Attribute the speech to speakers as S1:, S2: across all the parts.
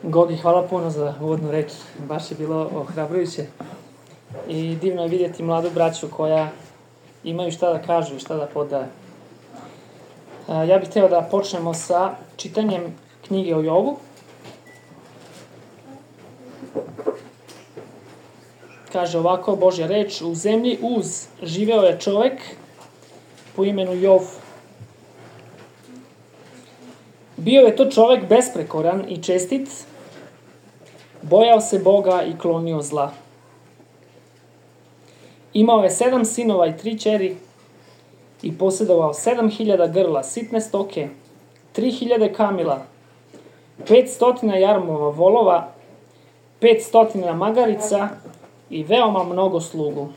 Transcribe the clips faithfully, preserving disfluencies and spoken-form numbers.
S1: Gogi, hvala puno za uvodnu reč. Baš je bilo ohrabrujuće. I divno je vidjeti mladu braću koja imaju šta da kažu i šta da podaje. Ja bih htio da počnemo sa čitanjem knjige o Jovu. Kaže ovako Božja reč: u zemlji Uz živeo je čovek po imenu Jov. Bio je to čovek besprekoran i čestit, bojao se Boga i klonio zla. Imao je sedam sinova i tri ćeri i posjedovao sedam hiljada grla sitne stoke, tri hiljade kamila, pet stotina jarmova volova, pet stotina magarica i veoma mnogo slugu.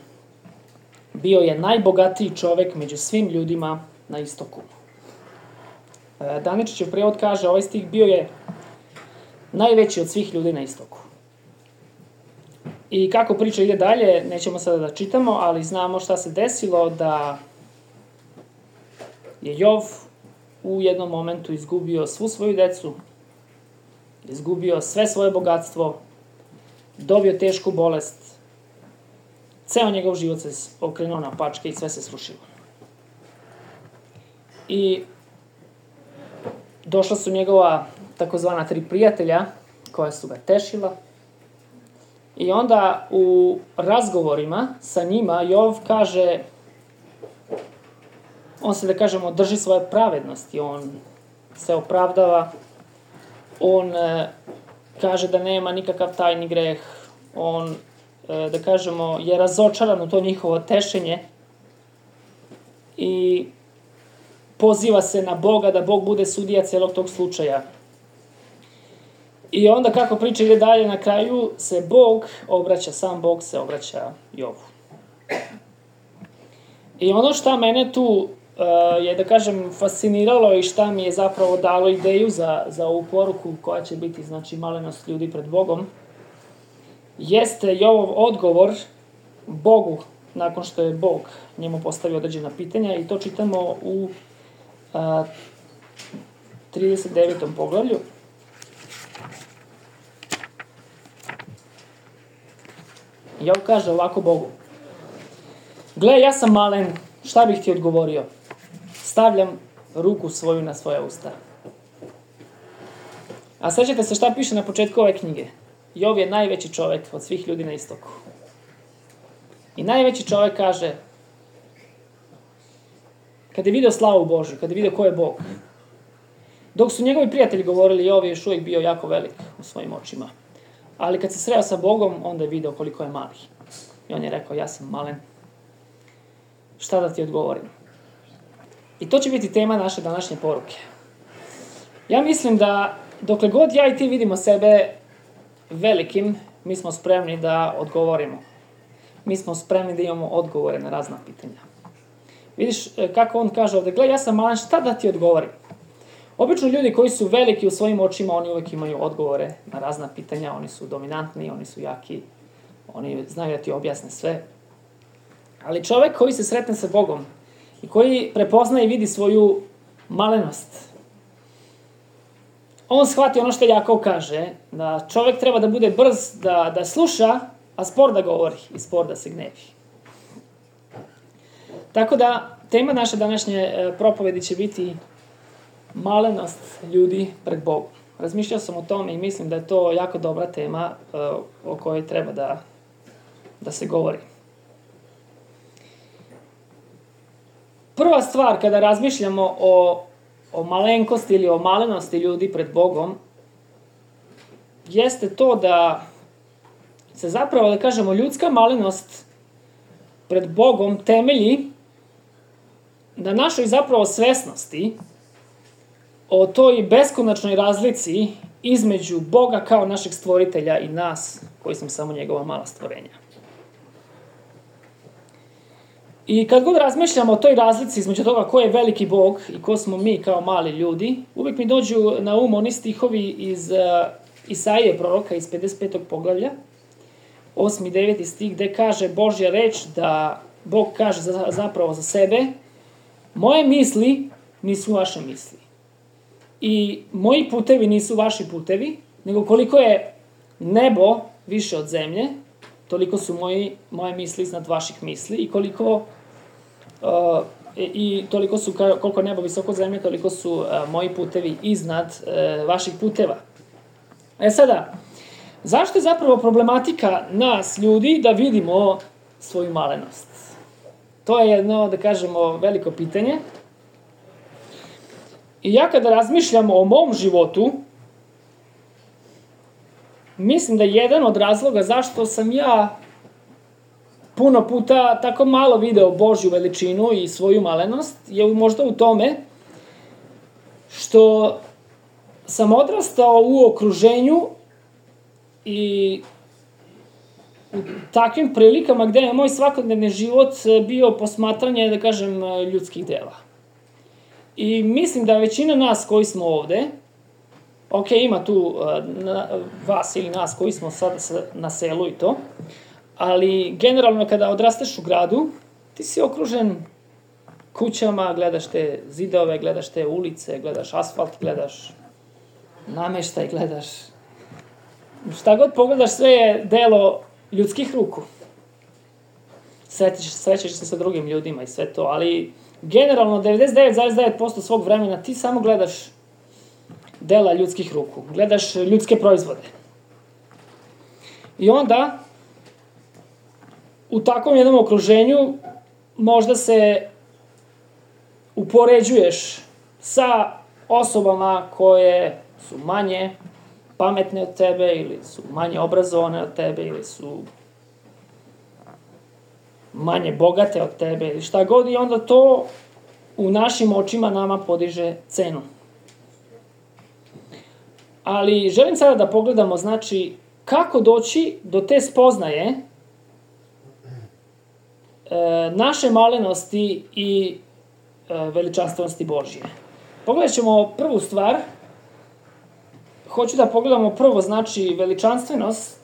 S1: Bio je najbogatiji čovek među svim ljudima na istoku. Daničićev prijevod kaže, ovaj stih bio je najveći od svih ljudi na istoku. I kako priča ide dalje, nećemo sada da čitamo, ali znamo šta se desilo, da je Jov u jednom momentu izgubio svu svoju decu, izgubio sve svoje bogatstvo, dobio tešku bolest, ceo njegov život se okrenuo na pačke i sve se srušilo. I došla su njegova takozvana tri prijatelja koja su ga tešila. I onda u razgovorima sa njima Jov kaže, on se da kažemo drži svoje pravednosti, on se opravdava, on e, kaže da nema nikakav tajni greh, on e, da kažemo je razočaran u to njihovo tešenje i poziva se na Boga da Bog bude sudija celog tog slučaja. I onda kako priča ide dalje, na kraju se Bog obraća, sam Bog se obraća Jovu. I ono šta mene tu uh, je, da kažem, fasciniralo i šta mi je zapravo dalo ideju za, za ovu poruku koja će biti, znači, malenost ljudi pred Bogom, jeste Jovov odgovor Bogu nakon što je Bog njemu postavio određena pitanja, i to čitamo u uh, trideset devetom poglavlju. Jov kaže ovako Bogu: gle, ja sam malen, šta bih ti odgovorio? Stavljam ruku svoju na svoja usta. A sećate se šta piše na početku ove knjige? Jov je najveći čovek od svih ljudi na istoku. I najveći čovek kaže, kad je video slavu Božju, kad je video ko je Bog, dok su njegovi prijatelji govorili, Jov je još uvijek bio jako velik u svojim očima. Ali kad se sreo sa Bogom, onda je video koliko je mali. I on je rekao, ja sam malen. Šta da ti odgovorim? I to će biti tema naše današnje poruke. Ja mislim da dokle god ja i ti vidimo sebe velikim, mi smo spremni da odgovorimo. Mi smo spremni da imamo odgovore na razna pitanja. Vidiš kako on kaže ovde, gle, ja sam malen, šta da ti odgovorim? Obično ljudi koji su veliki u svojim očima, oni uvek imaju odgovore na razna pitanja, oni su dominantni, oni su jaki, oni znaju da ti objasne sve. Ali čovek koji se sretne sa Bogom i koji prepozna i vidi svoju malenost, on shvati ono što Jakov kaže, da čovek treba da bude brz da, da sluša, a spor da govori i spor da se gnevi. Tako da, tema naše današnje propovedi će biti malenost ljudi pred Bogom. Razmišljao sam o tome i mislim da je to jako dobra tema uh, o kojoj treba da, da se govori. Prva stvar kada razmišljamo o, o malenkosti ili o malenosti ljudi pred Bogom jeste to da se zapravo, da kažemo, ljudska malenost pred Bogom temelji na našoj zapravo svesnosti o toj beskonačnoj razlici između Boga kao našeg stvoritelja i nas, koji smo samo njegova mala stvorenja. I kad god razmišljamo o toj razlici između toga ko je veliki Bog i ko smo mi kao mali ljudi, uvijek mi dođu na um oni stihovi iz uh, Isaije proroka iz pedeset petog poglavlja, osmi i deveti stih, gde kaže Božja reč da Bog kaže za, zapravo za sebe: moje misli nisu vaše misli. I moji putevi nisu vaši putevi, nego koliko je nebo više od zemlje, toliko su moji, moje misli iznad vaših misli i koliko uh, i toliko su, koliko je nebo visoko od zemlje, toliko su uh, moji putevi iznad uh, vaših puteva. E sada, zašto je zapravo problematika nas, ljudi, da vidimo svoju malenost? To je jedno, da kažemo, veliko pitanje. I ja kada razmišljam o mom životu, mislim da je jedan od razloga zašto sam ja puno puta tako malo video Božju veličinu i svoju malenost, je možda u tome što sam odrastao u okruženju i u takvim prilikama gde je moj svakodnevni život bio posmatranje, da kažem, ljudskih dela. I mislim da većina nas koji smo ovde, ok, ima tu na, vas ili nas koji smo sad na selu i to, ali generalno kada odrasteš u gradu, ti si okružen kućama, gledaš te zidove, gledaš te ulice, gledaš asfalt, gledaš nameštaj, gledaš šta god pogledaš, sve je delo ljudskih ruku. Srećeš, srećeš se sa drugim ljudima i sve to, ali generalno devedeset devet zarez devet posto svog vremena ti samo gledaš dela ljudskih ruku, gledaš ljudske proizvode. I onda u takvom jednom okruženju možda se upoređuješ sa osobama koje su manje pametne od tebe ili su manje obrazovane od tebe ili su manje bogate od tebe ili šta god, i onda to u našim očima nama podiže cenu. Ali želim sada da pogledamo, znači, kako doći do te spoznaje e, naše malenosti i e, veličanstvenosti Božje. Pogledat ćemo prvu stvar. Hoću da pogledamo prvo, znači, veličanstvenost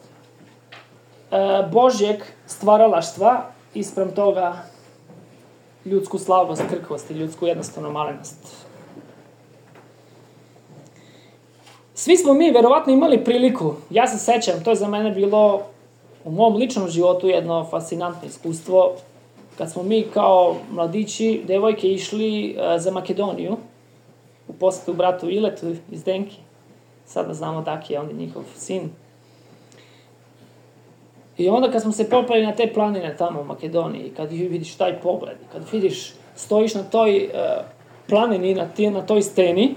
S1: e, Božjeg stvaralaštva ispram toga ljudsku slabost, krhkost i ljudsku jednostavnu malenost. Svi smo mi verovatno imali priliku, ja se sećam, to je za mene bilo u mom ličnom životu jedno fascinantno iskustvo, kad smo mi kao mladići, devojke, išli uh, za Makedoniju, u posetu bratu Iletu iz Denki. Sada znamo Daki je on je njihov sin. I onda kad smo se popali na te planine tamo u Makedoniji, kad vidiš taj pogled, kad vidiš, stojiš na toj uh, planini, na, ti, na toj steni,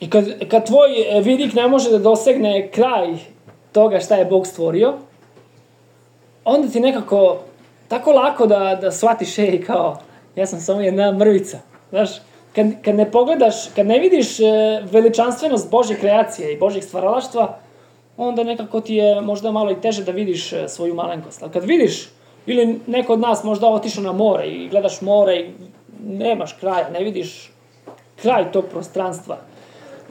S1: i kad, kad tvoj vidik ne može da dosegne kraj toga šta je Bog stvorio, onda ti nekako tako lako da, da shvatiš, ej, kao, ja sam samo jedna mrvica. Znaš, kad, kad ne pogledaš, kad ne vidiš veličanstvenost Božje kreacije i Božjeg stvaralaštva, onda nekako ti je možda malo i teže da vidiš svoju malenkost. Ali kad vidiš, ili neko od nas možda otišao na more i gledaš more i nemaš kraja, ne vidiš kraj tog prostranstva,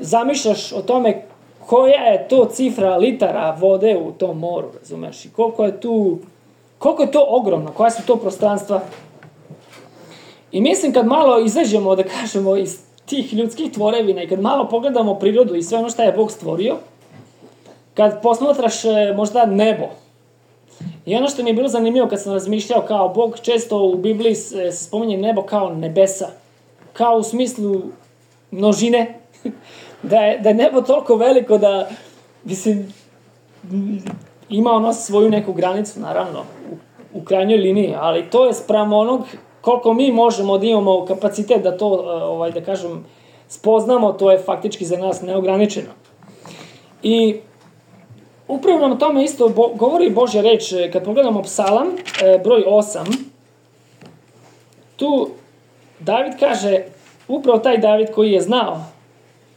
S1: zamišljaš o tome koja je to cifra litara vode u tom moru, razumeš, i koliko je tu, koliko je to ogromno, koja su to prostranstva. I mislim kad malo izađemo, da kažemo, iz tih ljudskih tvorevina i kad malo pogledamo prirodu i sve ono što je Bog stvorio, kad posmatraš možda nebo, i ono što mi je bilo zanimljivo kad sam razmišljao, kao Bog često u Bibliji se spominje nebo kao nebesa, kao u smislu množine, da je, da je nebo toliko veliko da, mislim, ima ono svoju neku granicu, naravno, u, u krajnjoj liniji, ali to je sprem onog koliko mi možemo da imamo kapacitet da to, ovaj, da kažem, spoznamo, to je faktički za nas neograničeno. I upravo nam tome isto bo, govori Božja reč, kad pogledamo Psalam, e, broj osam, tu David kaže, upravo taj David koji je znao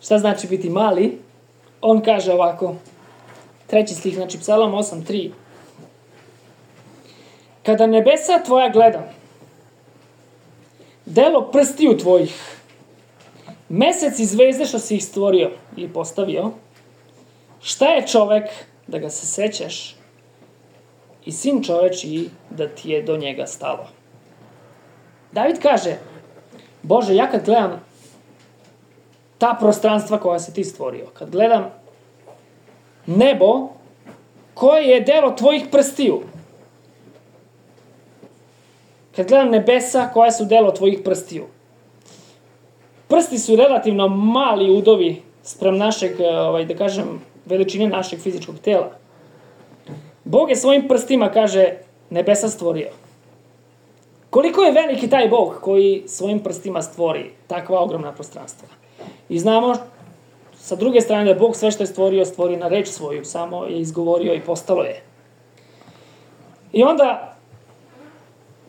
S1: šta znači biti mali, on kaže ovako, treći stih, znači Psalam osam tri. Kada nebesa tvoja gledam, delo prstiju tvojih, mesec i zvezde što si ih stvorio ili postavio, šta je čovek da ga se sećaš i sin čovečiji da ti je do njega stalo. David kaže, Bože, ja kad gledam ta prostranstva koja si ti stvorio. Kad gledam nebo, koje je delo tvojih prstiju. Kad gledam nebesa, koja su delo tvojih prstiju. Prsti su relativno mali udovi sprem našeg, ovaj, da kažem, veličine našeg fizičkog tela. Bog je svojim prstima, kaže, nebesa stvorio. Koliko je veliki taj Bog koji svojim prstima stvori takva ogromna prostranstva. I znamo, sa druge strane, da Bog sve što je stvorio, stvorio na reč svoju, samo je izgovorio i postalo je. I onda,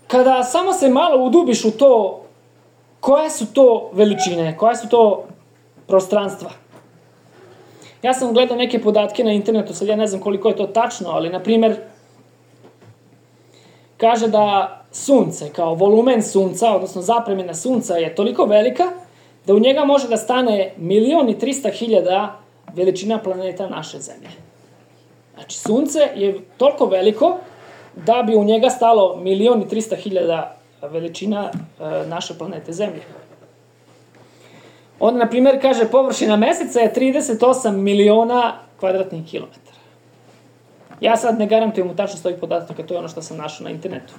S1: kada samo se malo udubiš u to, koje su to veličine, koje su to prostranstva. Ja sam gledao neke podatke na internetu, sad ja ne znam koliko je to tačno, ali, na primjer, kaže da sunce, kao volumen sunca, odnosno zapremina sunca je toliko velika, da u njega može da stane milion i trista hiljada veličina planeta naše zemlje. Znači, sunce je toliko veliko da bi u njega stalo milion i trista hiljada veličina e, naše planete zemlje. Onda, na primjer, kaže, površina meseca je trideset osam miliona kvadratnih kilometara. Ja sad ne garantujem u tačnost ovih podataka, to je ono što sam našao na internetu.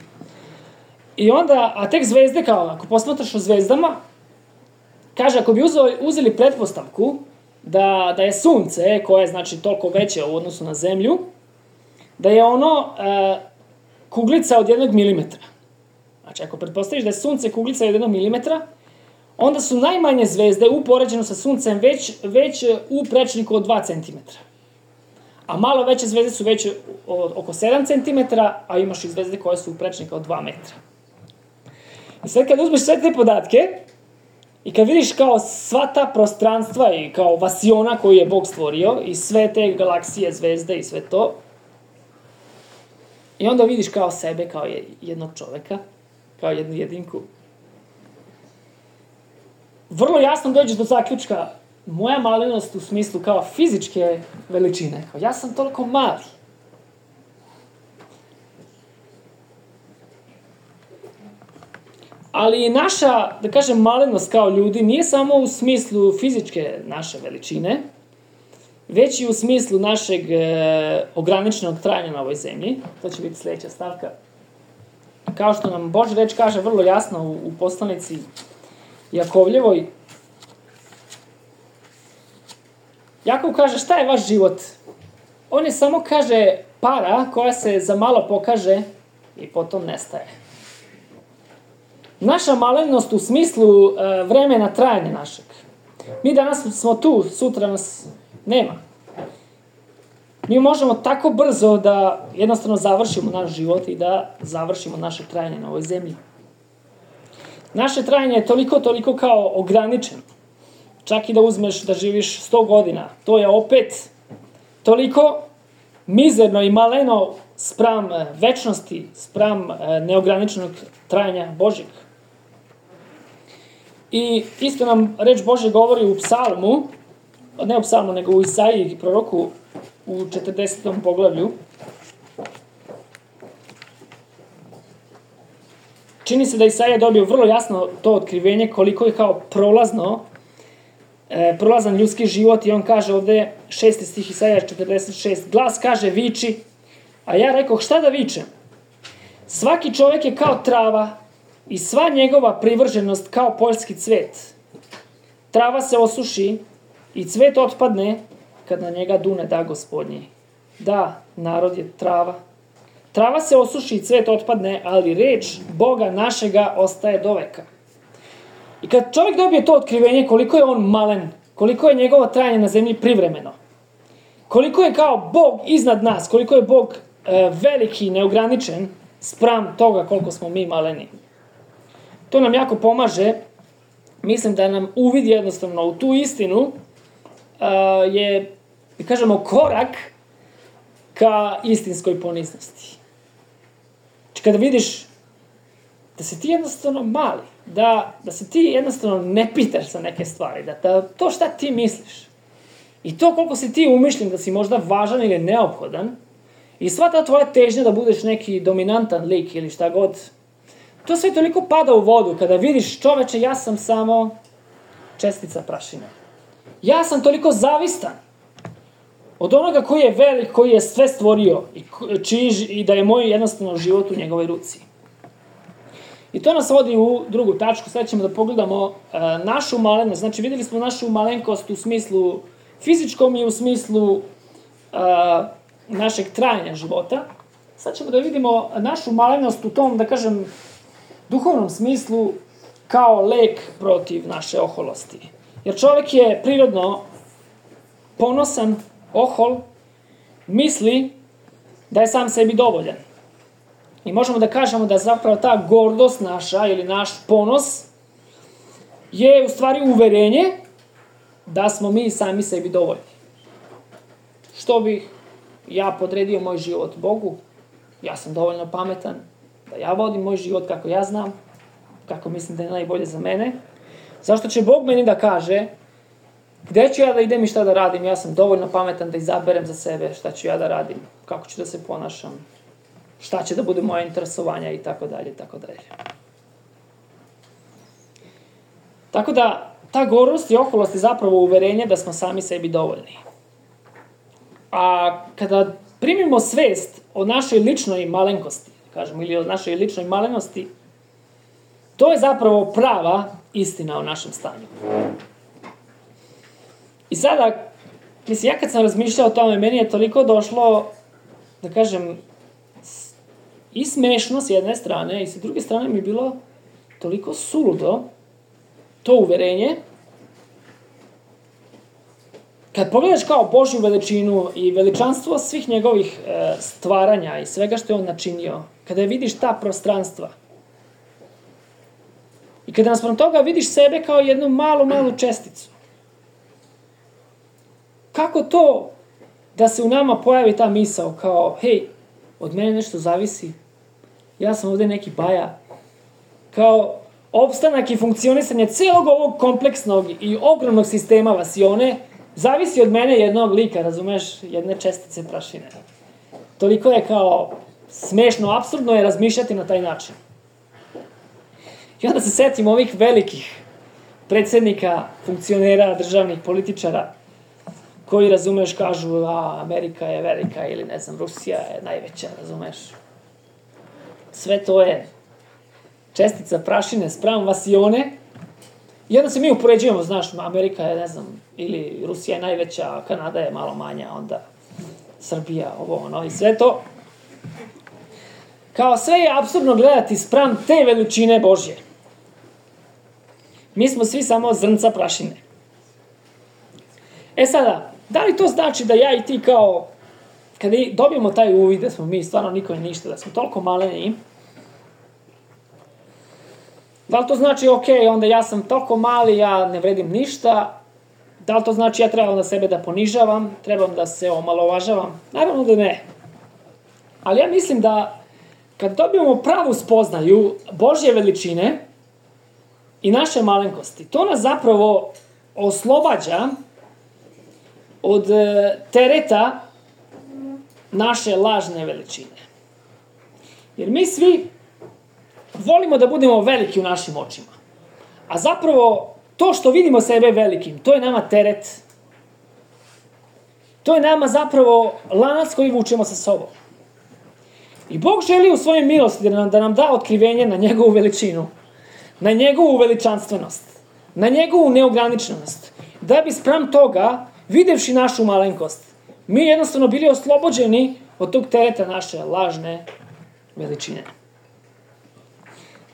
S1: I onda, a tek zvezde, kao, ako posmatraš o zvezdama, kaže, ako bi uzeli, uzeli pretpostavku da, da je sunce, koje je, znači, toliko veće u odnosu na zemlju, da je ono e, kuglica od jednog milimetra. Znači, ako pretpostaviš da je sunce kuglica od jednog milimetra, onda su najmanje zvezde u poređenju sa suncem već, već u prečniku od dva centimetra. A malo veće zvezde su već oko sedam centimetara, a imaš i zvezde koje su u prečniku od dva metra. I sad kad uzmeš sve te podatke, i kad vidiš kao sva ta prostranstva i kao vasiona koju je Bog stvorio, i sve te galaksije, zvezde i sve to, i onda vidiš kao sebe, kao jednog čoveka, kao jednu jedinku. Vrlo jasno dođeš do zaključka, moja malenost u smislu kao fizičke veličine. Kao, ja sam toliko mali. Ali naša, da kažem, malenost kao ljudi nije samo u smislu fizičke naše veličine, već i u smislu našeg e, ograničenog trajanja na ovoj zemlji. To će biti sljedeća stavka. Kao što nam Božja reč kaže vrlo jasno u, u poslanici Jakovljevoj. Jakov kaže, šta je vaš život? On je samo, kaže, para koja se za malo pokaže i potom nestaje. Naša malenost u smislu e, vremena trajanja našeg. Mi danas smo tu, sutra nas nema. Mi možemo tako brzo da jednostavno završimo naš život i da završimo naše trajanje na ovoj zemlji. Naše trajanje je toliko, toliko kao ograničeno. Čak i da uzmeš da živiš sto godina. To je opet toliko mizerno i maleno spram večnosti, spram neograničenog trajanja Božjeg. I isto nam reč Božje govori u psalmu, ne u psalmu, nego u Isaiji, proroku, u četrdesetom poglavlju. Čini se da Isaija dobio vrlo jasno to otkrivenje koliko je kao prolazno, e, prolazan ljudski život, i on kaže ovde, šesti stih Isaija četrdeset šest, glas kaže viči, a ja rekoh šta da vičem? Svaki čovjek je kao trava i sva njegova privrženost kao poljski cvet. Trava se osuši i cvet otpadne kad na njega dune da Gospodnji. Da, narod je trava. Trava se osuši i cvet otpadne, ali reč Boga našega ostaje do veka. I kad čovjek dobije to otkrivenje koliko je on malen, koliko je njegovo trajanje na zemlji privremeno, koliko je kao Bog iznad nas, koliko je Bog e, veliki, neograničen spram toga koliko smo mi maleni. To nam jako pomaže, mislim da nam uvid jednostavno u tu istinu uh, je, da kažemo, korak ka istinskoj poniznosti. Znači, kada vidiš da si ti jednostavno mali, da, da se ti jednostavno ne pitaš za neke stvari, da, da to šta ti misliš, i to koliko si ti umišljen da si možda važan ili neophodan, i sva ta tvoja težnja da budeš neki dominantan lik ili šta god, to sve toliko pada u vodu kada vidiš, čoveče, ja sam samo čestica prašine. Ja sam toliko zavistan od onoga koji je velik, koji je sve stvorio i, čiji, i da je moj jednostavno život u njegovoj ruci. I to nas vodi u drugu tačku. Sad ćemo da pogledamo uh, našu malenost. Znači, videli smo našu malenkost u smislu fizičkom i u smislu uh, našeg trajanja života. Sad ćemo da vidimo našu malenost u tom, da kažem, duhovnom smislu kao lek protiv naše oholosti. Jer čovjek je prirodno ponosan, ohol, misli da je sam sebi dovoljan. I možemo da kažemo da zapravo ta gordost naša ili naš ponos je u stvari uverenje da smo mi sami sebi dovoljni. Što bih ja podredio moj život Bogu? Ja sam dovoljno pametan da ja vodim moj život kako ja znam, kako mislim da je najbolje za mene. Zašto će Bog meni da kaže gde ću ja da idem i šta da radim? Ja sam dovoljno pametan da izaberem za sebe šta ću ja da radim, kako ću da se ponašam, šta će da bude moje interesovanja i tako dalje, i tako dalje. Tako da, ta gordost i oholost je zapravo uverenje da smo sami sebi dovoljni. A kada primimo svest o našoj ličnoj malenkosti, kažemo, ili o našoj ličnoj malenosti, to je zapravo prava istina o našem stanju. I sada, mislim, ja kad sam razmišljao o tome, meni je toliko došlo, da kažem, i smešno s jedne strane, i s druge strane mi je bilo toliko suludo to uverenje. Kad pogledaš kao Božju veličinu i veličanstvo svih njegovih e, stvaranja i svega što je on načinio, kada vidiš ta prostranstva, i kada naspram toga vidiš sebe kao jednu malu, malu česticu, kako to da se u nama pojavi ta misao kao, hej, od mene nešto zavisi, ja sam ovde neki baja, kao opstanak i funkcionisanje celog ovog kompleksnog i ogromnog sistema vasione zavisi od mene jednog lika, razumeš, jedne čestice prašine. Toliko je kao smešno, apsurdno je razmišljati na taj način. I onda se setim ovih velikih predsjednika, funkcionera, državnih političara, koji, razumeš, kažu, a, Amerika je velika ili, ne znam, Rusija je najveća, razumeš. Sve to je čestica prašine spram vasione. I onda se mi upoređujemo, znaš, Amerika je, ne znam, ili Rusija je najveća, Kanada je malo manja, onda Srbija, ovo, ono, i sve to. Kao sve je apsurdno gledati spram te veličine Božje. Mi smo svi samo zrnca prašine. E sada, da li to znači da ja i ti kao, kada dobijemo taj uvid da smo mi stvarno niko i ništa, da smo toliko maleni, da li to znači, ok, onda ja sam toliko mali, ja ne vredim ništa, da li to znači ja trebam na sebe da ponižavam, trebam da se omalovažavam? Naravno da ne. Ali ja mislim da kad dobijemo pravu spoznaju Božje veličine i naše malenkosti, to nas zapravo oslobađa od tereta naše lažne veličine. Jer mi svi volimo da budemo veliki u našim očima. A zapravo, to što vidimo sebe velikim, to je nama teret. To je nama zapravo lanac koji vučemo sa sobom. I Bog želi u svojoj milosti da nam, da nam da otkrivenje na njegovu veličinu, na njegovu veličanstvenost, na njegovu neograničenost, da bi spram toga, videvši našu malenkost, mi jednostavno bili oslobođeni od tog tereta naše lažne veličine.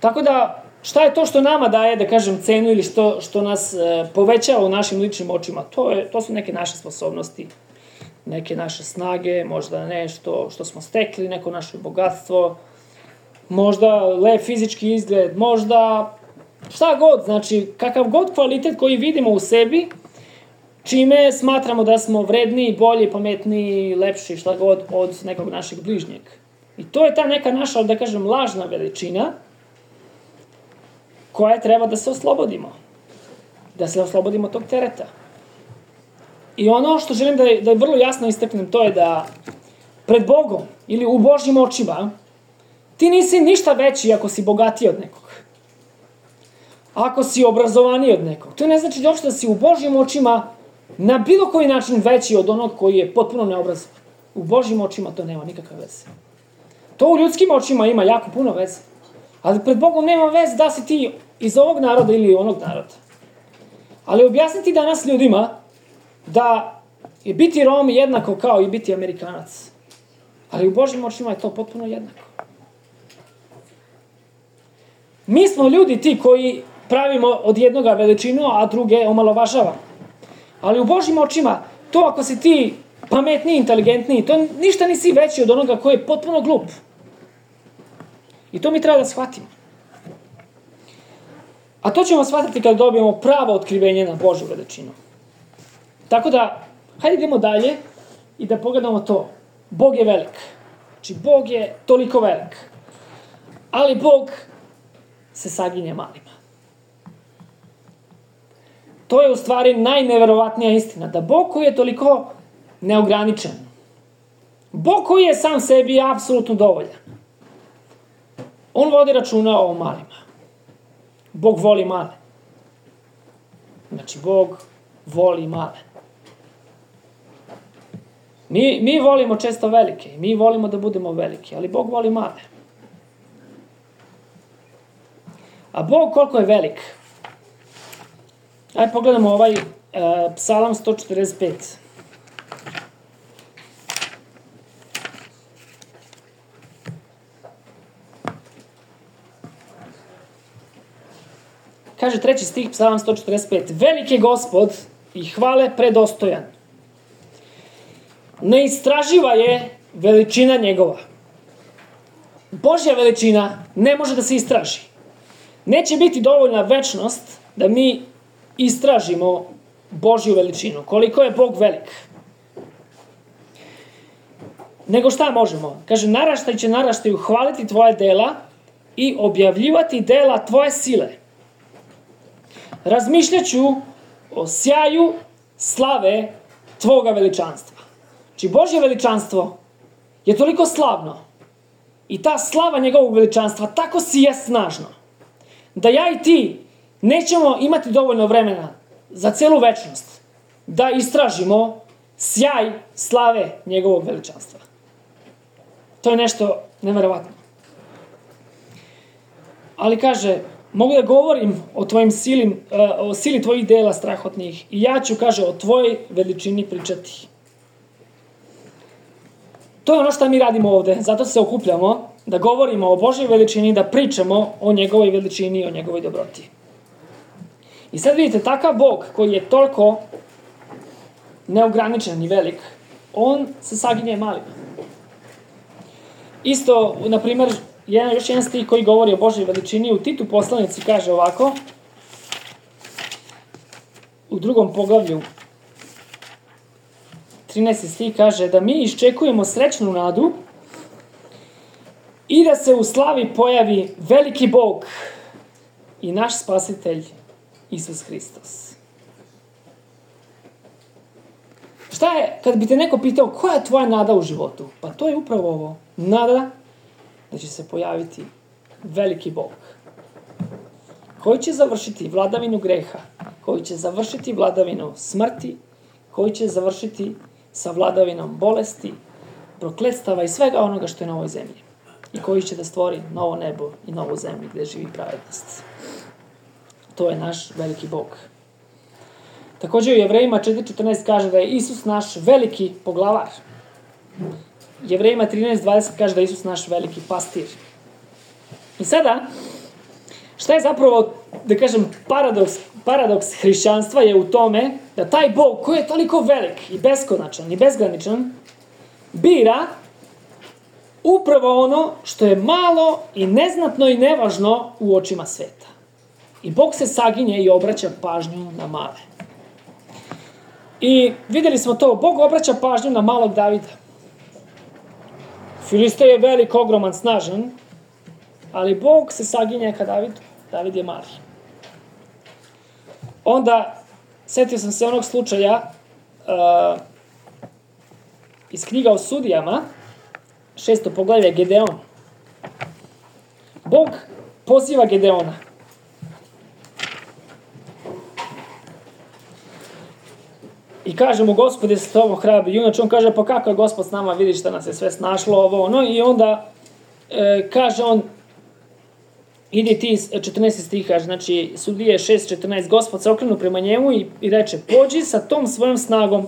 S1: Tako da, šta je to što nama daje, da kažem, cenu ili što, što nas e, povećava u našim ličnim očima? To, je, to su neke naše sposobnosti, neke naše snage, možda nešto što smo stekli, neko naše bogatstvo, možda lep fizički izgled, možda šta god, znači kakav god kvalitet koji vidimo u sebi, čime smatramo da smo vredniji, bolji, pametniji, lepši, šta god od nekog našeg bližnjeg. I to je ta neka naša, da kažem, lažna veličina koja treba da se oslobodimo. Da se oslobodimo tog tereta. I ono što želim da, da vrlo jasno istaknem, to je da pred Bogom ili u Božjim očima ti nisi ništa veći ako si bogatiji od nekog. Ako si obrazovaniji od nekog. To ne znači uopšte da si u Božjim očima na bilo koji način veći od onog koji je potpuno neobrazovan. U Božjim očima to nema nikakve veze. To u ljudskim očima ima jako puno veze. Ali pred Bogom nema veze da si ti iz ovog naroda ili onog naroda. Ali objasniti danas ljudima da je biti Rom jednako kao i biti Amerikanac. Ali u Božjim očima je to potpuno jednako. Mi smo ljudi ti koji pravimo od jednoga veličinu, a druge omalovažavamo. Ali u Božjim očima, to ako si ti pametniji, inteligentniji, to ništa nisi veći od onoga koji je potpuno glup. I to mi treba da shvatimo. A to ćemo shvatiti kada dobijemo pravo otkrivenje na Božju veličinu. Tako da, hajde idemo dalje i da pogledamo to. Bog je velik. Znači, Bog je toliko velik. Ali Bog se saginje malima. To je u stvari najneverovatnija istina. Da Bog koji je toliko neograničen. Bog koji je sam sebi apsolutno dovoljan. On vodi računa o malima. Bog voli male. Znači, Bog voli male. Mi, mi volimo često velike. Mi volimo da budemo veliki. Ali Bog voli male. A Bog koliko je velik? Ajde pogledamo ovaj uh, Psalam sto četrdeset pet. Kaže treći stih, Psalam sto četrdeset pet. Veliki je Gospod i hvale predostojan. Neistraživa je veličina njegova. Božja veličina ne može da se istraži. Neće biti dovoljna večnost da mi istražimo Božju veličinu. Koliko je Bog velik. Nego šta možemo? Kaže, naraštaj će naraštaju hvaliti tvoje dela i objavljivati dela tvoje sile. Razmišljaću o sjaju slave tvoga veličanstva. Znači, Božje veličanstvo je toliko slavno i ta slava njegovog veličanstva tako sije snažno da ja i ti nećemo imati dovoljno vremena za celu večnost da istražimo sjaj slave njegovog veličanstva. To je nešto neverovatno. Ali kaže, mogu da govorim o tvojim silim, o sili tvojih dela strahotnih i ja ću, kaže, o tvojoj veličini pričati. To je ono što mi radimo ovde, zato se okupljamo, da govorimo o Božoj veličini, da pričamo o njegovoj veličini i o njegovoj dobroti. I sad vidite, takav Bog koji je toliko neograničen i velik, on se saginje malima. Isto, na primjer, jedan, još jedan stih koji govori o Božoj veličini, u Titu poslanici kaže ovako, u drugom poglavlju, trinaesti stih kaže da mi iščekujemo srećnu nadu i da se u slavi pojavi veliki Bog i naš spasitelj Isus Hristos. Šta je, kad bi te neko pitao koja je tvoja nada u životu? Pa to je upravo ovo. Nada da će se pojaviti veliki Bog koji će završiti vladavinu greha, koji će završiti vladavinu smrti, koji će završiti sa vladavinom bolesti, prokletstava i svega onoga što je na ovoj zemlji. I koji će da stvori novo nebo i novu zemlju gde živi pravednost. To je naš veliki Bog. Također u Jevrejima četiri četrnaest kaže da je Isus naš veliki poglavar. Jevrejima trinaest dvadeset kaže da je Isus naš veliki pastir. I sada, šta je zapravo, da kažem, paradoks, paradoks hrišćanstva je u tome da taj Bog koji je toliko velik i beskonačan i bezgraničan bira upravo ono što je malo i neznatno i nevažno u očima sveta. I Bog se saginje i obraća pažnju na male. I vidjeli smo to, Bog obraća pažnju na malog Davida. Filiste je velik, ogroman, snažan, ali Bog se saginje ka Davidu. David je mali. Onda, setio sam se onog slučaja uh, iz knjiga o sudijama, šesto poglavlje, Gedeon. Bog poziva Gedeona. I kaže mu, Gospod je s tobom hrabri junač. On kaže, pa kako je Gospod s nama, vidiš šta nas je sve snašlo, ovo, ono. I onda e, kaže on, ide ti, četrnaesti stih kaže, znači, Sudije šest četrnaest, Gospod se okrenu prema njemu i, i reče, pođi sa tom svojom snagom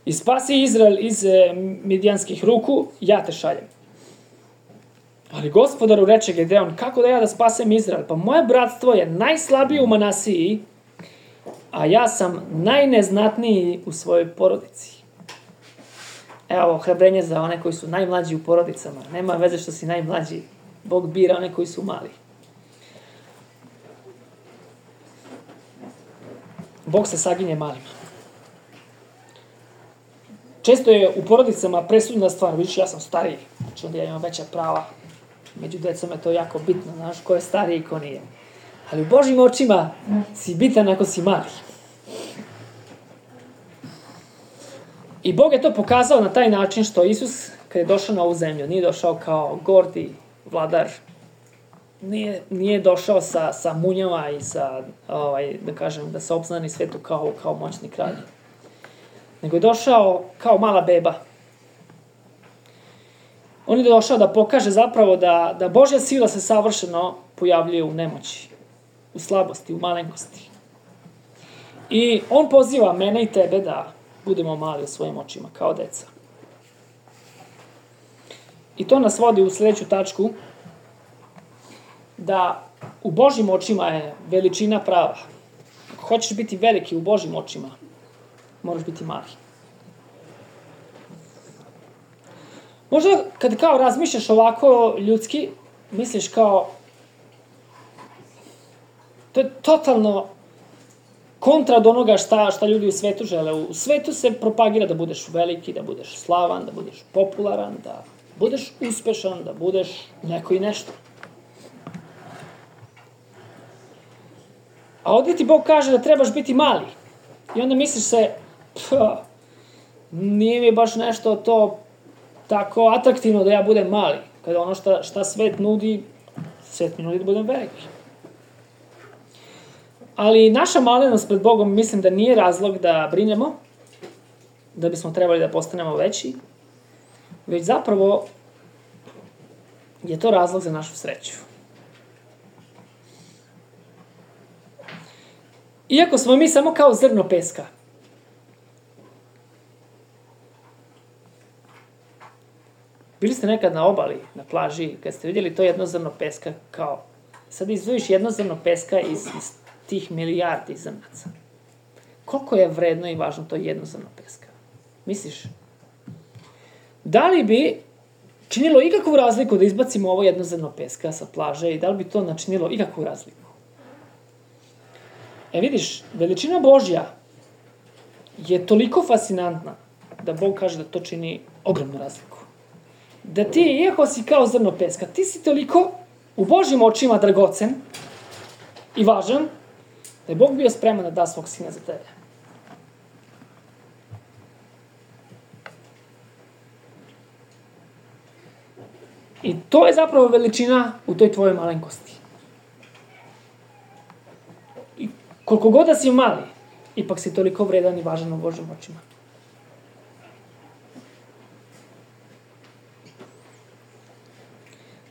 S1: i spasi Izrael iz e, midjanskih ruku, ja te šaljem. Ali Gospodaru reče Gedeon, kako da ja da spasem Izrael? Pa moje bratstvo je najslabije u Manasiji, a ja sam najneznatniji u svojoj porodici. Evo, ohrabrenje za one koji su najmlađi u porodicama. Nema veze što si najmlađi. Bog bira one koji su mali. Bog se saginje malima. Često je u porodicama presudna stvar, vidiš, ja sam stariji, znači onda ja imam veća prava. Među decom je to jako bitno, znaš, ko je stariji i ko nije. Ali u Božjim očima si bitan ako si mali. I Bog je to pokazao na taj način što Isus, kad je došao na ovu zemlju, nije došao kao gordi vladar, nije, nije došao sa, sa munjama i sa, ovaj, da kažem, da se obznani svetu kao, kao moćni kralj. Nego je došao kao mala beba. On je došao da pokaže zapravo da, da Božja sila se savršeno pojavljuje u nemoći, u slabosti, u malenkosti. I on poziva mene i tebe da budemo mali u svojim očima, kao deca. I to nas vodi u sljedeću tačku, da u Božjim očima je veličina prava. Ako hoćeš biti veliki u Božjim očima, moraš biti mali. Možda kad kao razmišljaš ovako ljudski, misliš kao, to je totalno kontra od onoga šta, šta ljudi u svetu žele. U svetu se propagira da budeš veliki, da budeš slavan, da budeš popularan, da budeš uspešan, da budeš neko i nešto. A ovdje ti Bog kaže da trebaš biti mali. I onda misliš se, pa, nije mi baš nešto to tako atraktivno da ja budem mali. Kada ono šta, šta svet nudi, svet mi nudi da budem veliki. Ali naša malenost pred Bogom mislim da nije razlog da brinemo, da bismo trebali da postanemo veći, već zapravo je to razlog za našu sreću. Iako smo mi samo kao zrno peska, bili ste nekad na obali, na plaži, kad ste vidjeli to jedno zrno peska, kao, sad izdvojiš jedno zrno peska iz, iz tih milijardi zrnaca. Koliko je vredno i važno to jedno zrno peska? Misliš? Da li bi činilo ikakvu razliku da izbacimo ovo jedno zrno peska sa plaže i da li bi to načinilo ikakvu razliku? E vidiš, veličina Božja je toliko fascinantna da Bog kaže da to čini ogromnu razliku. Da ti, iako si kao zrno peska, ti si toliko u Božjim očima dragocen i važan, da je Bog bio spreman da da svog sina za tebe. I to je zapravo veličina u toj tvojoj malenkosti. I koliko god da si mali, ipak si toliko vredan i važan u Božjim očima.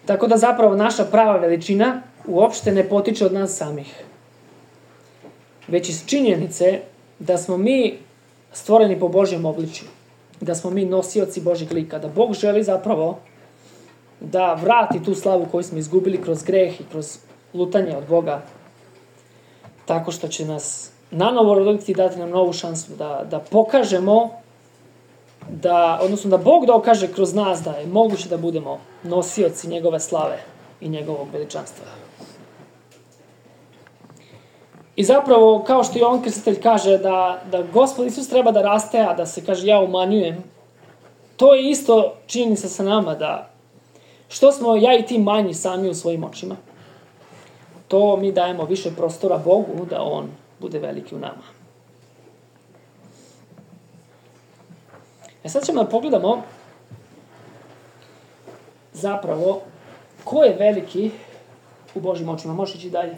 S1: Tako da zapravo naša prava veličina uopšte ne potiče od nas samih. Već iz činjenice da smo mi stvoreni po Božjem obličju. Da smo mi nosioci Božjeg lika. Da Bog želi zapravo da vrati tu slavu koju smo izgubili kroz greh i kroz lutanje od Boga. Tako što će nas nanovo roditi i dati nam novu šansu da, da pokažemo, da, odnosno da Bog dokaže kroz nas da je moguće da budemo nosioci njegove slave i njegovog veličanstva. I zapravo, kao što Jovan Krstitelj kaže da, da Gospod Isus treba da raste, a da se kaže ja umanjujem, to je isto činjenica sa nama da što smo ja i ti manji sami u svojim očima, to mi dajemo više prostora Bogu da On bude veliki u nama. E sad ćemo da pogledamo zapravo ko je veliki u Božjim očima. Možeš ići dalje.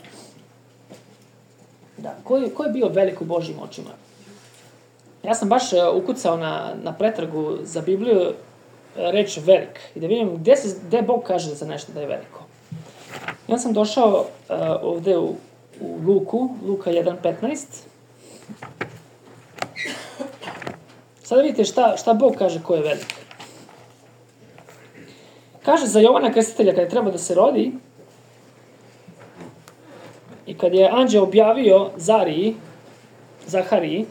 S1: Da, ko je, ko je bio velik u Božjim očima? Ja sam baš ukucao na, na pretragu za Bibliju reč velik i da vidim gde, se, gde Bog kaže za nešto da je veliko. I onda sam došao uh, ovde u, u Luku, Luka jedan petnaest. Sada vidite šta, šta Bog kaže ko je velik. Kaže za Jovana Krstitelja kada je treba da se rodi i kad je anđeo objavio Zariji, Zahariji,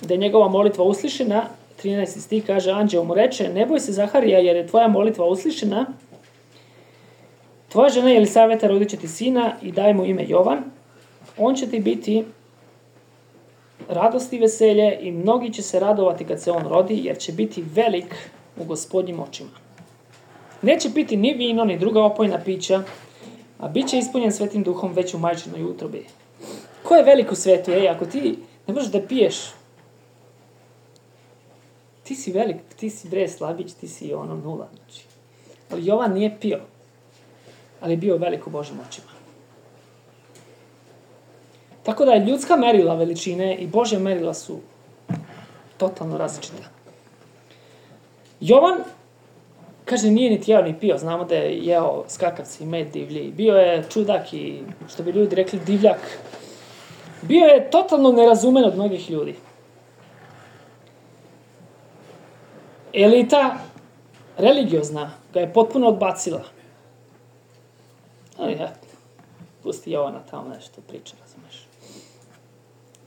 S1: da je njegova molitva uslišena, trinaesti stih kaže, anđeo mu reče, ne boj se Zaharija jer je tvoja molitva uslišena, tvoja žena Jelisaveta rodit će ti sina i daj mu ime Jovan, on će ti biti radost i veselje i mnogi će se radovati kad se on rodi jer će biti velik u Gospodnjim očima. Neće piti ni vino ni druga opojna pića, a bit će ispunjen Svetim Duhom već u majčinoj utrobi. Ko je velik u svetu? Ej, ako ti ne možeš da piješ, ti si velik, ti si bre slabić, ti si ono nula. Znači. Ali Jovan nije pio, ali je bio velik u Božjim očima. Tako da je ljudska merila veličine i Božja merila su totalno različita. Jovan, kaže, nije niti jeo ni pio. Znamo da je jeo skakavci i med divlji. Bio je čudak i, što bi ljudi rekli, divljak. Bio je totalno nerazumen od mnogih ljudi. Elita religiozna ga je potpuno odbacila. Ali ja, pusti Jovana tamo nešto priča, razumeš.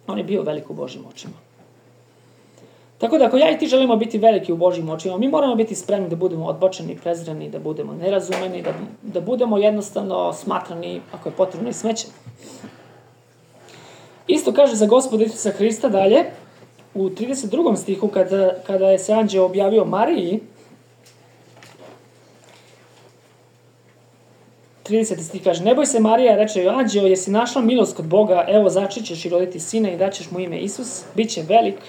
S1: On je bio velik u Božjim očima. Tako da ako ja i ti želimo biti veliki u Božjim očima, mi moramo biti spremni da budemo odbačeni, prezreni, da budemo nerazumeni, da, da budemo jednostavno smatrani, ako je potrebno, i smećeni. Isto kaže za Gospoda Isusa Hrista dalje, u trideset drugom stihu, kada, kada je se anđeo objavio Mariji, trideseti stih kaže, ne boj se Marija, reče joj anđeo, jesi našla milost kod Boga, evo začećeš i roditi sina i daćeš mu ime Isus, bit će velik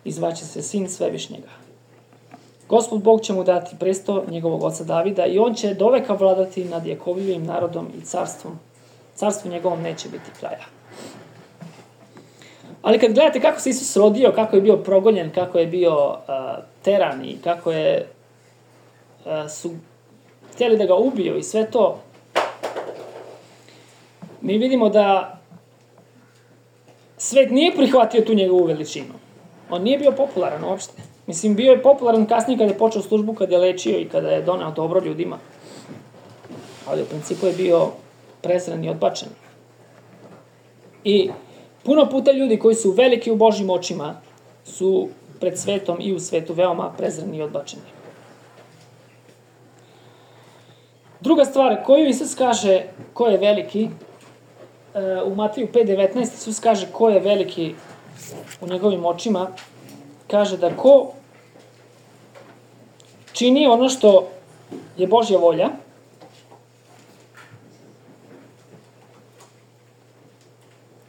S1: i zvaće se sin Svevišnjega. Gospod Bog će mu dati presto njegovog oca Davida i on će doveka vladati nad Jakovljevim narodom i carstvom. Carstvu njegovom neće biti kraja. Ali kad gledate kako se Isus rodio, kako je bio progonjen, kako je bio uh, teran i kako je uh, su htjeli da ga ubiju i sve to, mi vidimo da svet nije prihvatio tu njegovu veličinu. On nije bio popularan uopšte. Mislim, bio je popularan kasnije kada je počeo službu, kada je lečio i kada je doneo dobro ljudima. Ali u principu je bio prezren i odbačen. I puno puta ljudi koji su veliki u Božjim očima su pred svetom i u svetu veoma prezreni i odbačeni. Druga stvar koju Isus kaže ko je veliki, u Mateju pet devetnaest Isus kaže ko je veliki u njegovim očima, kaže da ko čini ono što je Božja volja,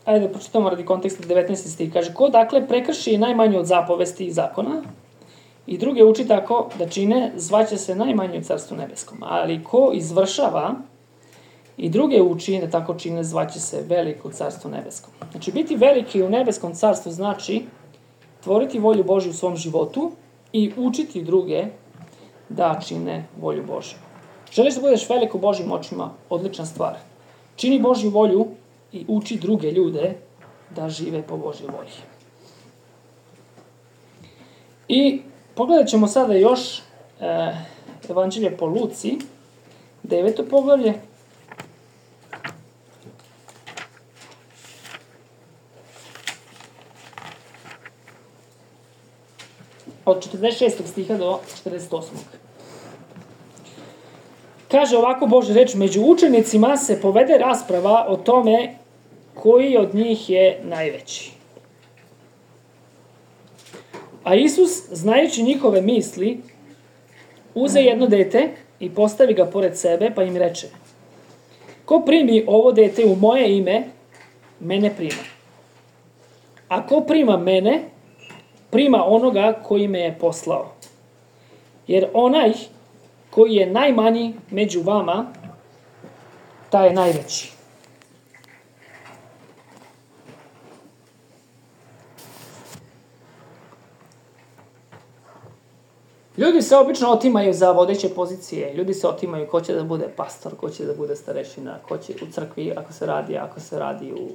S1: ajde da pročitamo radi konteksta devetnaesti stih, kaže ko dakle prekrši najmanje od zapovesti i zakona i druge uči tako da čine, zvaće se najmanje u Carstvu nebeskom, ali ko izvršava i druge uči da tako čine, zvaće se veliko u Carstvu nebeskom. Znači, biti veliki u nebeskom carstvu znači tvoriti volju Božju u svom životu i učiti druge da čine volju Božju. Želiš da budeš velik u Božjim očima? Odlična stvar. Čini Božju volju i uči druge ljude da žive po Božjoj volji. I pogledat ćemo sada još e, Evanđelje po Luci, deveto poglavlje. Od četrdeset šestog stiha do četrdeset osmog Kaže ovako Božja reč, među učenicima se povede rasprava o tome koji od njih je najveći. A Isus, znajući njihove misli, uze jedno dete i postavi ga pored sebe, pa im reče, ko primi ovo dete u moje ime, mene prima. A ko prima mene, prima onoga koji me je poslao. Jer onaj koji je najmanji među vama, taj je najveći. Ljudi se obično otimaju za vodeće pozicije. Ljudi se otimaju ko će da bude pastor, ko će da bude starešina, ko će u crkvi ako se radi, ako se radi u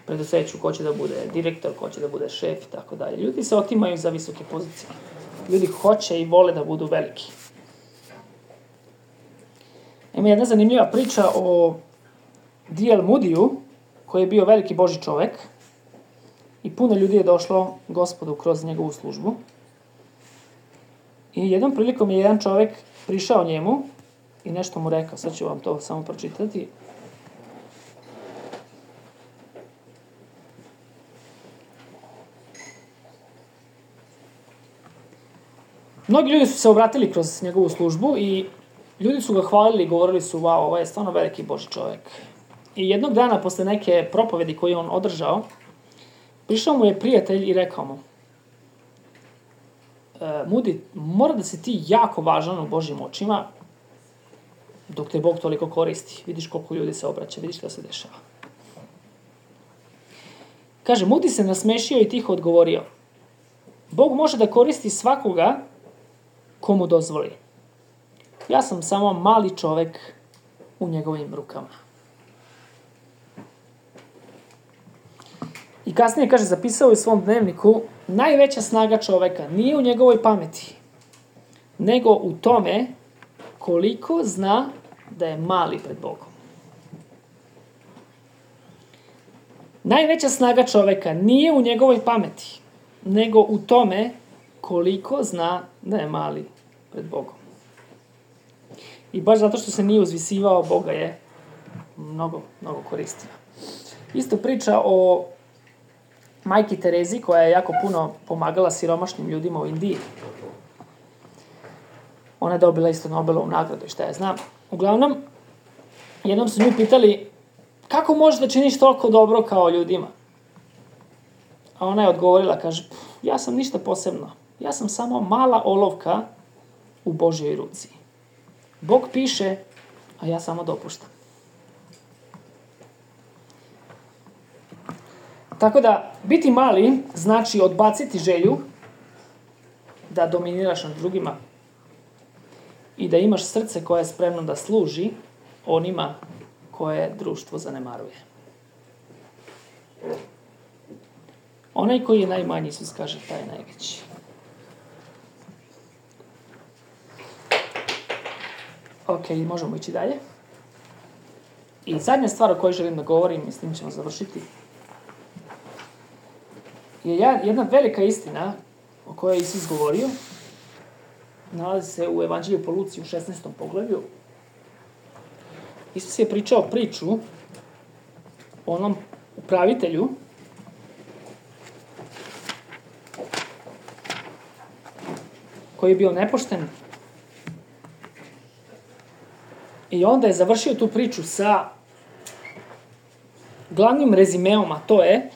S1: preduzeću, ko će da bude direktor, ko će da bude šef i tako dalje. Ljudi se otimaju za visoke pozicije. Ljudi hoće i vole da budu veliki. Ima jedna zanimljiva priča o D L Moodiju, koji je bio veliki Božji čovek i puno ljudi je došlo Gospodu kroz njegovu službu. I jednom prilikom je jedan čovek prišao njemu i nešto mu rekao. Sad ću vam to samo pročitati. Mnogi ljudi su se obratili kroz njegovu službu i ljudi su ga hvalili i govorili su, wow, ovo je stvarno veliki Božji čovek. I jednog dana, posle neke propovedi koju on održao, prišao mu je prijatelj i rekao mu, e, Moody, mora da si ti jako važan u Božjim očima, dok te Bog toliko koristi. Vidiš koliko ljudi se obraća, vidiš šta se dešava. Kaže, Moody se nasmešio i tiho odgovorio, Bog može da koristi svakoga komu dozvoli. Ja sam samo mali čovek u njegovim rukama. I kasnije, kaže, zapisao u svom dnevniku, najveća snaga čoveka nije u njegovoj pameti, nego u tome koliko zna da je mali pred Bogom. Najveća snaga čoveka nije u njegovoj pameti, nego u tome koliko zna da je mali pred Bogom. I baš zato što se nije uzvisivao, Boga je mnogo, mnogo koristio. Isto priča o majki Terezi, koja je jako puno pomagala siromašnim ljudima u Indiji. Ona je dobila isto Nobelovu nagradu i šta ja znam. Uglavnom, jednom su nju pitali, kako možeš da činiš toliko dobro kao ljudima? A ona je odgovorila, kaže, ja sam ništa posebno. Ja sam samo mala olovka u Božjoj ruci. Bog piše, a ja samo dopuštam. Tako da, biti mali znači odbaciti želju da dominiraš nad drugima i da imaš srce koje je spremno da služi onima koje društvo zanemaruje. Onaj koji je najmanji, Isus kaže, taj je najveći. Ok, možemo ići dalje. I zadnja stvar o kojoj želim da govorim, i s tim ćemo završiti, je jedna velika istina o kojoj je Isus govorio. Nalazi se u Evanđelju po Luci u šesnaestom poglavlju. Isus je pričao priču o onom upravitelju koji je bio nepošten. I onda je završio tu priču sa glavnim rezimeom, a to je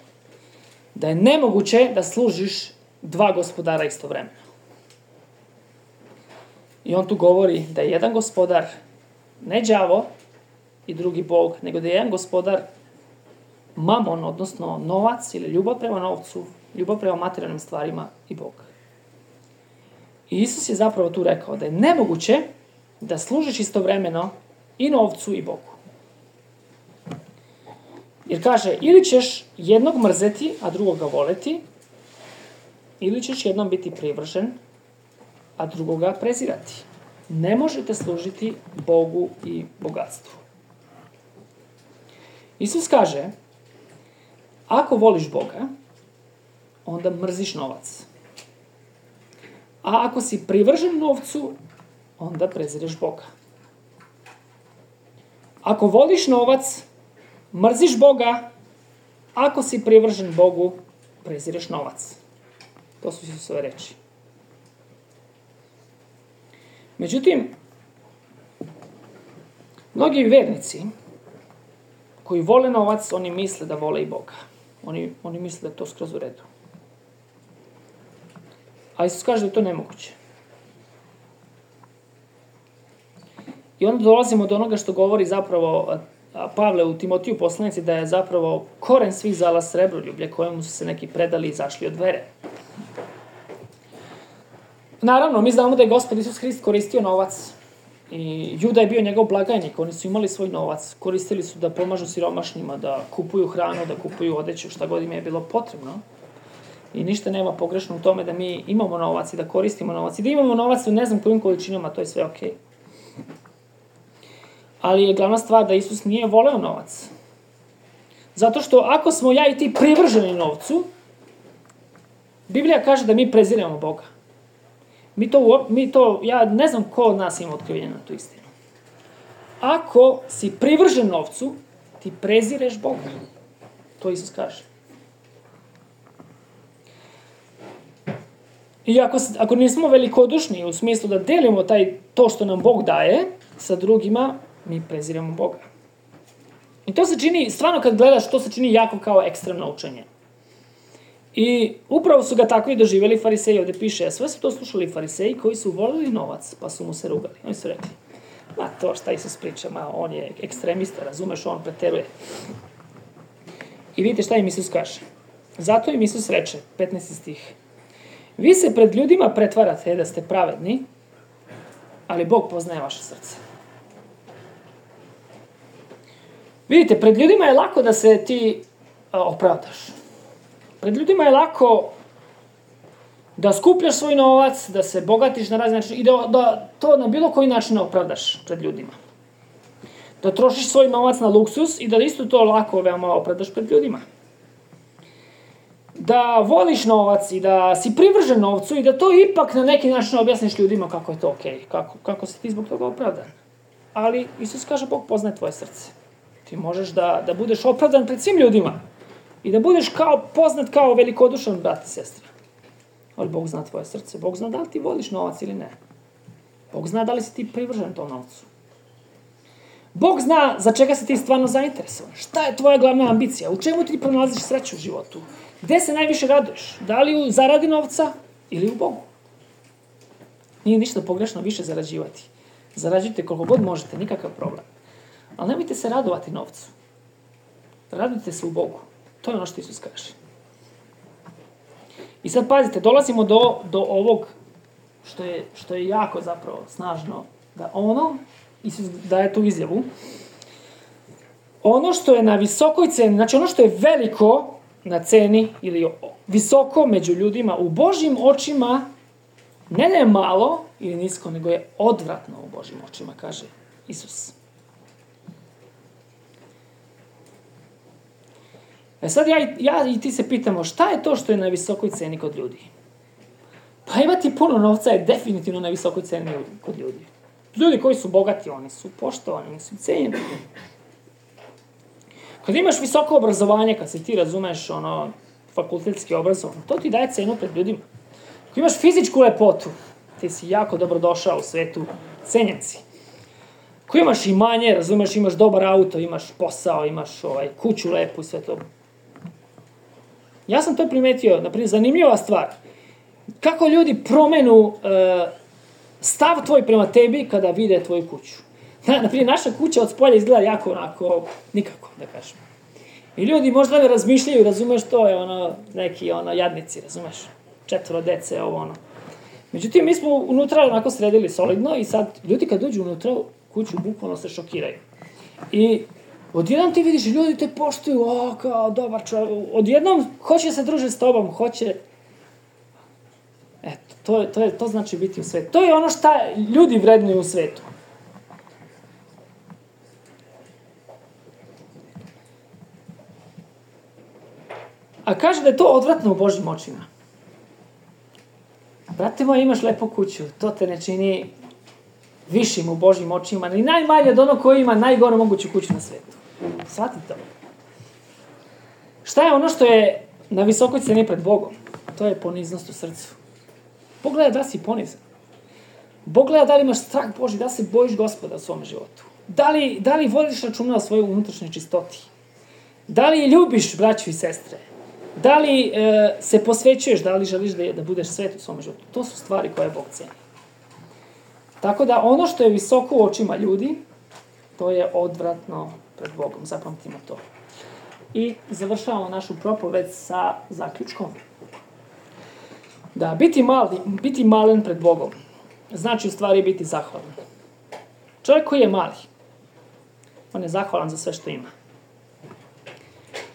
S1: da je nemoguće da služiš dva gospodara istovremeno. I on tu govori da je jedan gospodar ne đavo i drugi Bog, nego da je jedan gospodar mamon, odnosno novac ili ljubav prema novcu, ljubav prema materijalnim stvarima i Bog. I Isus je zapravo tu rekao da je nemoguće da služiš istovremeno i novcu i Bogu. Jer kaže, ili ćeš jednog mrzeti, a drugoga voleti, ili ćeš jednom biti privržen, a drugoga prezirati. Ne možete služiti Bogu i bogatstvu. Isus kaže, ako voliš Boga, onda mrziš novac. A ako si privržen novcu, onda prezireš Boga. Ako voliš novac, mrziš Boga, ako si privržen Bogu, prezireš novac. To su Isusove reči. Međutim, mnogi vernici koji vole novac, oni misle da vole i Boga. Oni, oni misle da je to skroz u redu. A Isus kaže da je to nemoguće. I onda dolazimo do onoga što govori zapravo Pavle u Timotiju poslanici, da je zapravo koren svih zala srebroljublje, kojemu su se neki predali i izašli od vere. Naravno, mi znamo da je Gospod Isus Hrist koristio novac. I Juda je bio njegov blagajnik, oni su imali svoj novac, koristili su da pomažu siromašnjima, da kupuju hranu, da kupuju odeću, šta god im je bilo potrebno. I ništa nema pogrešno u tome da mi imamo novac i da koristimo novac. I da imamo novac u ne znam kojim količinama, to je sve okej. Ali je glavna stvar da Isus nije voleo novac. Zato što ako smo ja i ti privrženi novcu, Biblija kaže da mi preziremo Boga. Mi to, mi to, ja ne znam ko od nas ima otkrivenje na tu istinu. Ako si privržen novcu, ti prezireš Boga. To Isus kaže. I ako, ako nismo velikodušni u smislu da delimo taj, to što nam Bog daje sa drugima, mi preziremo Boga. I to se čini, stvarno kad gledaš, to se čini jako kao ekstremno učenje. I upravo su ga tako i doživjeli fariseji, ovdje piše, a sve su to slušali fariseji koji su volili novac, pa su mu se rugali. Oni su rekli, ma to šta Isus priča, ma on je ekstremista, razumeš, on preteruje. I vidite šta im Isus kaže. Zato im Isus reče, petnaesti stih, vi se pred ljudima pretvarate da ste pravedni, ali Bog poznaje vaše srce. Vidite, pred ljudima je lako da se ti a, opravdaš. Pred ljudima je lako da skupljaš svoj novac, da se bogatiš na razne načine i da, da to na bilo koji način opravdaš pred ljudima. Da trošiš svoj novac na luksus i da isto to lako veoma opravdaš pred ljudima. Da voliš novac i da si privržen novcu i da to ipak na neki način objasniš ljudima kako je to okej, kako, kako si ti zbog toga opravdan. Ali Isus kaže, Bog poznaje tvoje srce. Ti možeš da, da budeš opravdan pred svim ljudima i da budeš kao, poznat kao velikodušan brat i sestra. Ali Bog zna tvoje srce. Bog zna da li ti voliš novac ili ne. Bog zna da li si ti privržen tom novcu. Bog zna za čega si ti stvarno zainteresovan. Šta je tvoja glavna ambicija? U čemu ti pronalaziš sreću u životu? Gde se najviše raduješ? Da li u zaradi novca ili u Bogu? Nije ništa pogrešno više zarađivati. Zarađujte koliko god možete, nikakav problem. Ali nemojte se radovati novcu. Radujte se u Bogu. To je ono što Isus kaže. I sad pazite, dolazimo do, do ovog što je, što je jako zapravo snažno. Da ono, Isus daje tu izjavu, ono što je na visokoj ceni, znači ono što je veliko na ceni ili visoko među ljudima u Božjim očima, ne da je malo ili nisko, nego je odvratno u Božjim očima, kaže Isus. E sad ja, ja i ti se pitamo, šta je to što je na visokoj ceni kod ljudi? Pa imati puno novca je definitivno na visokoj ceni kod ljudi. Ljudi koji su bogati, oni su poštovani, oni su cenjeni. Kad imaš visoko obrazovanje, kad se ti razumeš ono, fakultetski obrazovan, to ti daje cenu pred ljudima. Ako imaš fizičku lepotu, ti si jako dobro došao u svetu, cenjen si. Ako imaš imanje, razumeš, imaš dobar auto, imaš posao, imaš ovaj, kuću lepu i sve to. Ja sam to primetio, naprimjer, zanimljiva stvar. Kako ljudi promenu e, stav tvoj prema tebi kada vide tvoju kuću. Na, naprimjer, naša kuća od spolja izgleda jako onako, nikako, da kažem. I ljudi možda ne razmišljaju, razumeš, to je ono, neki ono, jadnici, razumeš, četvoro dece, ovo ono. Međutim, mi smo unutra onako sredili solidno i sad ljudi kad dođu unutra kuću, bukvalno se šokiraju. I odjednom ti vidiš, ljudi te poštuju, o, kao dobar čovjek, odjednom hoće se družiti s tobom, hoće. Eto, to, to, je, to znači biti u svetu. To je ono šta ljudi vrednuju u svetu. A kaže da je to odvratno u Božjim očima. Brate moj, imaš lepu kuću, to te ne čini višim u Božjim očima, ni najmanje od onog koji ima najgoru moguću kuću na svetu. Shvati to. Šta je ono što je na visokoj ceni pred Bogom? To je poniznost u srcu. Bog gleda da si ponizan. Bog gleda da li imaš strah Božji, da se bojiš Gospoda u svom životu. Da li, da li vodiš računa o svojoj unutrašnjoj čistoti? Da li ljubiš braću i sestre? Da li e, se posvećuješ, da li želiš da, da budeš svet u svom životu? To su stvari koje Bog ceni. Tako da ono što je visoko u očima ljudi, to je odvratno pred Bogom. Zapamtimo to. I završavamo našu propoved sa zaključkom. Da, biti mali, biti malen pred Bogom, znači u stvari biti zahvalan. Čovjek koji je mali, on je zahvalan za sve što ima.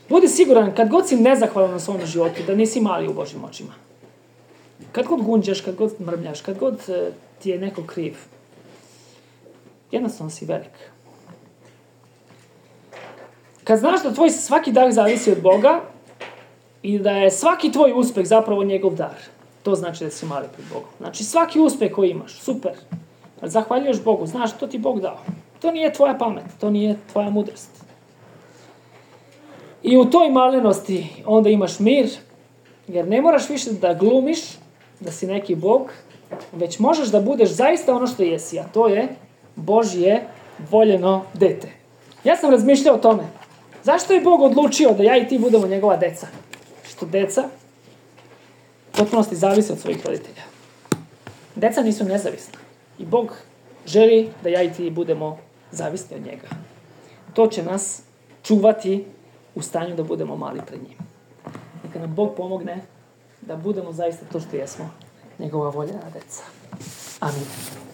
S1: Budi siguran, kad god si nezahvalan na svom životu, da nisi mali u Božjim očima. Kad god gunđaš, kad god mrmljaš, kad god ti je neko kriv, jednostavno si velik. Kad znaš da tvoj svaki dar zavisi od Boga i da je svaki tvoj uspeh zapravo njegov dar, to znači da si mali pred Bogom. Znači svaki uspeh koji imaš, super, ali zahvaljuješ Bogu, znaš to ti Bog dao. To nije tvoja pamet, to nije tvoja mudrost. I u toj malenosti onda imaš mir, jer ne moraš više da glumiš, da si neki Bog, već možeš da budeš zaista ono što jesi, a to je Božje voljeno dete. Ja sam razmišljao o tome. Zašto je Bog odlučio da ja i ti budemo njegova deca? Što deca u potpunosti zavise od svojih roditelja. Deca nisu nezavisna. I Bog želi da ja i ti budemo zavisni od njega. To će nas čuvati u stanju da budemo mali pred njim. Neka nam Bog pomogne da budemo zaista to što jesmo, njegova voljena deca. Amin.